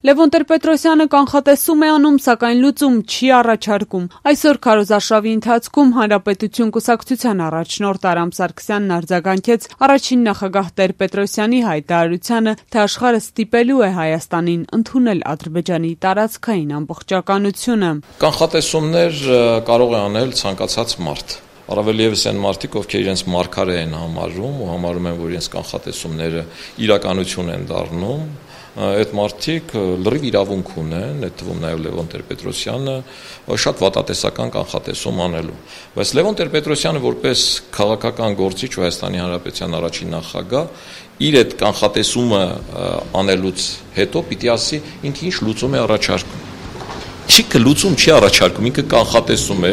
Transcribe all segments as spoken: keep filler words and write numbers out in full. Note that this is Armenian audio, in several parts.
Լևոն Տեր-Պետրոսյանը կանխատեսում է անում, սակայն լուծում չի առաջարկում։ Այսօր քարոզարշավի ընթացքում Հանրապետություն կուսակցության առաջնորդ Արամ Սարգսյանն արձագանքեց առաջին նախագահ Տեր-Պետրոսյանի հայտարարությանը, թե աշխարհը ստիպելու է Հայաստանին ընդունել Ադրբեջանի տարածքային ամբողջականությունը։ Կանխատեսումներ կարող է անել ցանկացած մարդ։ Առավել ևս այն մարդիկ, ովքեր իրենց մարգարե են համարում ու համարում են, որ իրենց կանխատեսումները իրականություն են դառնում, այդ մարդիկ լրիվ իրավունք ունեն, այդ թվում նաև Լևոն Տեր-Պետրոսյանը, շատ վատատեսական կանխատեսում անելու։ Բայց Լևոն Տեր-Պետրոսյանը որպես քաղաքական գործիչ ու Հայաստանի Հանրապետության առաջին նախագահ իր այդ կանխատեսումը անելուց հետո պիտի ասի, ինքը ինչ լուծում է առաջարկում։ Չիքը լուծում չի առաջարկում, ինքը կանխատեսում է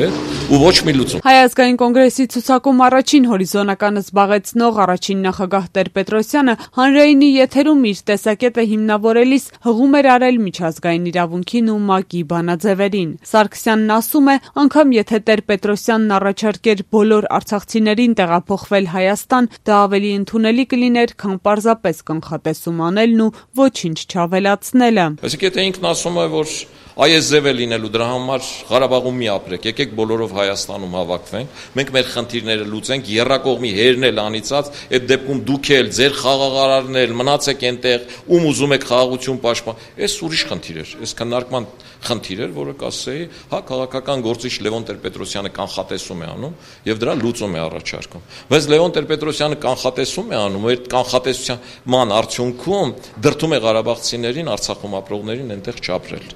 ու ոչ մի լուծում։ Հայ ազգային կոնգրեսի ցուցակում առաջին հորիզոնականը զբաղեցնող առաջին նախագահ Տեր-Պետրոսյանը հանրայինի եթերում իր տեսակետը հիմնավորելիս հղում էր արել միջազգային իրավունքին ու ՄԱԿ-ի բանաձևերին։ Սարգսյանն ասում է, անգամ եթե Տեր-Պետրոսյանն առաջարկեր բոլոր արցախցիներին տեղափոխվել Հայաստան, դա ավելի ընդունելի կլիներ, քան պարզապես կանխատեսում անելն ու ոչինչ չավելացնելը։ Այսինքն եթե ինքն ասում է, որ այս ձև է լինելու, դրա համար Ղարաբաղում մի ապրեք, եկեք բոլորով Հայաստանում հավաքվենք, մենք մեր խնդիրները լուծենք, եռակողմի հերն էլ անիծած, այդ դեպքում դուք էլ, ձեր խաղաղարարն էլ, մնացեք այնտեղ, ում ուզում եք խաղաղություն պաշտպան, այս ուրիշ խնդիր էր, այս քննարկման խնդիր էր, որը կասեի, հա, քաղաքական գործիչ Լևոն Տեր-Պետրոսյանը կանխատեսում է անում եւ դրա լուծում է առաջարկում։ Բայց Լևոն Տեր-Պետրոսյանը կանխատեսում է անում, այդ կանխատեսության արդյունքում դրդում է ղարաբաղցիներին, Արցախում ապրողներին այնտեղ չապրել։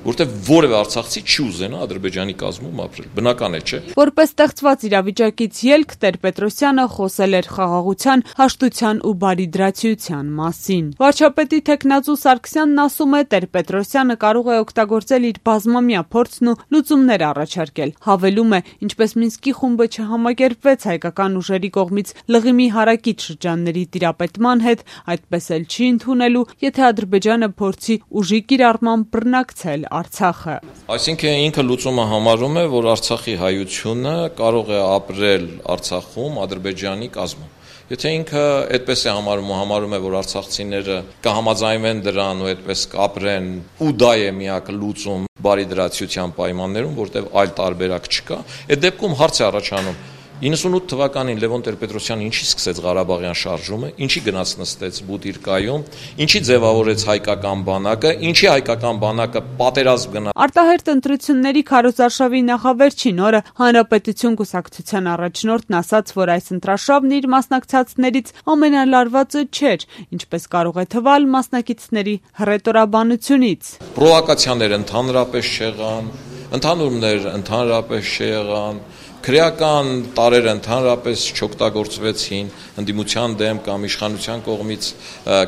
Որտեղ որևէ արցախցի չի ուզենա Ադրբեջանի կազմում ապրել, բնական է, չէ՞։ Որպես ստեղծված իրավիճակից ելք Տեր-Պետրոսյանը խոսել էր խաղաղության, հաշտության ու բարիդրացիության մասին։ Վարչապետի թեկնածու Սարգսյանն ասում է, Տեր-Պետրոսյանը կարող է օգտագործել իր բազմամյա փորձն ու լուծումներ առաջարկել։ Հավելում է, ինչպես Մինսկի խումբը չհամակերպվեց հայկական ուժերի կողմից լղիմի հարակից շրջանների տիրապետման հետ, այդպես էլ չի ընդունելու, եթե Ադրբեջանը փորձի ուժի կիրառմամբ բռնակցել Արցախը։ Այսինքն ինքը լուծումը համարում է, որ Արցախի հայությունը կարող է ապրել Արցախում Ադրբեջանի կազմում։ Եթե ինքը այդպես է համարում ու համարում է, որ արցախցիները կհամաձայնվեն դրան ու այդպես կապրեն, ու դա է միակ լուծում բարիդրացիության պայմաններում, որտեղ այլ տարբերակ չկա, այդ դեպքում հարց է առաջանում. իննսունութ թվականին Լևոն Տեր-Պետրոսյանը ինչի սկսեց Ղարաբաղյան շարժումը, ինչի գնաց նստեց Բուտիրկայում, ինչի ձևավորեց հայկական բանակը, ինչի հայկական բանակը պատերազմ գնաց։ Արտահերթ ընտրությունների քարոզարշավի նախավերջին օրը Հանրապետություն կուսակցության առաջնորդն ասաց, որ այս ընտրաշավն իր մասնակցածներից ամենալարվածը չէր, ինչպես կարող է թվալ մասնակիցների հռետորաբանությունից։ Պրովոկացիաներ ընդհանրապես չեղան, ընդհանուրներ ընդհանրապես չեղան, քրեական տարրեր ընդհանրապես չօգտագործվեցին ընդդիմության դեմ կամ իշխանության կողմից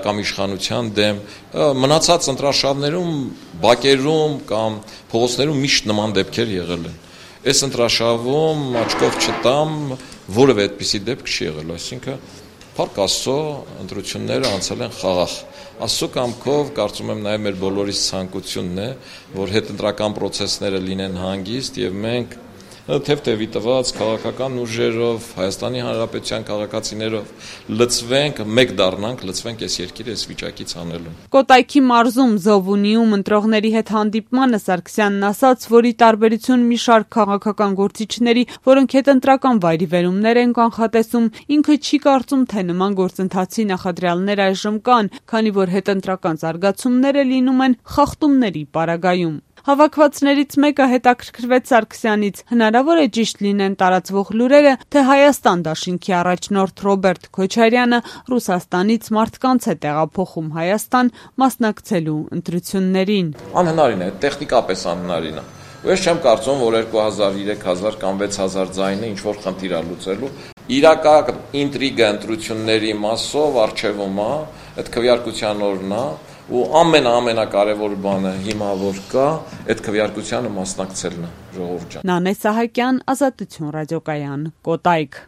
կամ իշխանության դեմ, մնացած ընտրաշավներում, բակերում կամ փողոցներում միշտ նման դեպքեր եղել են։ Այս ընտրաշավում աչքով չտամ, որևէ այդպիսի դեպք չի եղել, այսինքն Փառք Աստծո, ընտրությունները անցել են խաղաղ։ Աստծո կամքով կարծում եմ նաև մեր բոլորիս ցանկությունն է, որ հետընտրական process-ները լինեն հանգիստ եւ մենք թեթևի տված քաղաքական ուժերով, Հայաստանի Հանրապետության քաղաքացիներով լծվենք, մեկ դառնանք, լծվենք այս երկիրը այս վիճակից անելուն։ Կոտայքի մարզում Զովունիում ընտրողների հետ հանդիպմանը Սարգսյանն ասաց, որ ի տարբերություն մի շարք քաղաքական գործիչների, որոնք հետընտրական վայրիվերումներ են կանխատեսում, ինքը չի կարծում, թե նման գործընթացի նախադրյալներ այժմ կան, քանի որ հետընտրական զարգացումները լինում են խախտումների պարագայում։ Հավաքվածներից մեկը հետաքրքրվեց Սարգսյանից, հնարավոր է ճիշտ լինեն տարածվող լուրերը, թե Հայաստան դաշինքի առաջնորդ Ռոբերտ Քոչարյանը Ռուսաստանից մարդկանց է տեղափոխում Հայաստան մասնակցելու ընտրություններին։ Անհնարին է, տեխնիկապես անհնարին է։ Ու ես չեմ կարծում, որ երկու հազար, երեք հազար կամ վեց հազար ձայնը ինչ-որ խնդիր է լուծելու։ Իրական ինտրիգա ընտրությունների մասով առջևում է, այդ քվեարկության օրն է, ու ամենա-ամենակարևոր բանը հիմա որ կա, այդ քվեարկությանը մասնակցելն է, ժողովուրդ ջան։ Նանե Սահակյան, Ազատություն ռադիոկայան, Կոտայք։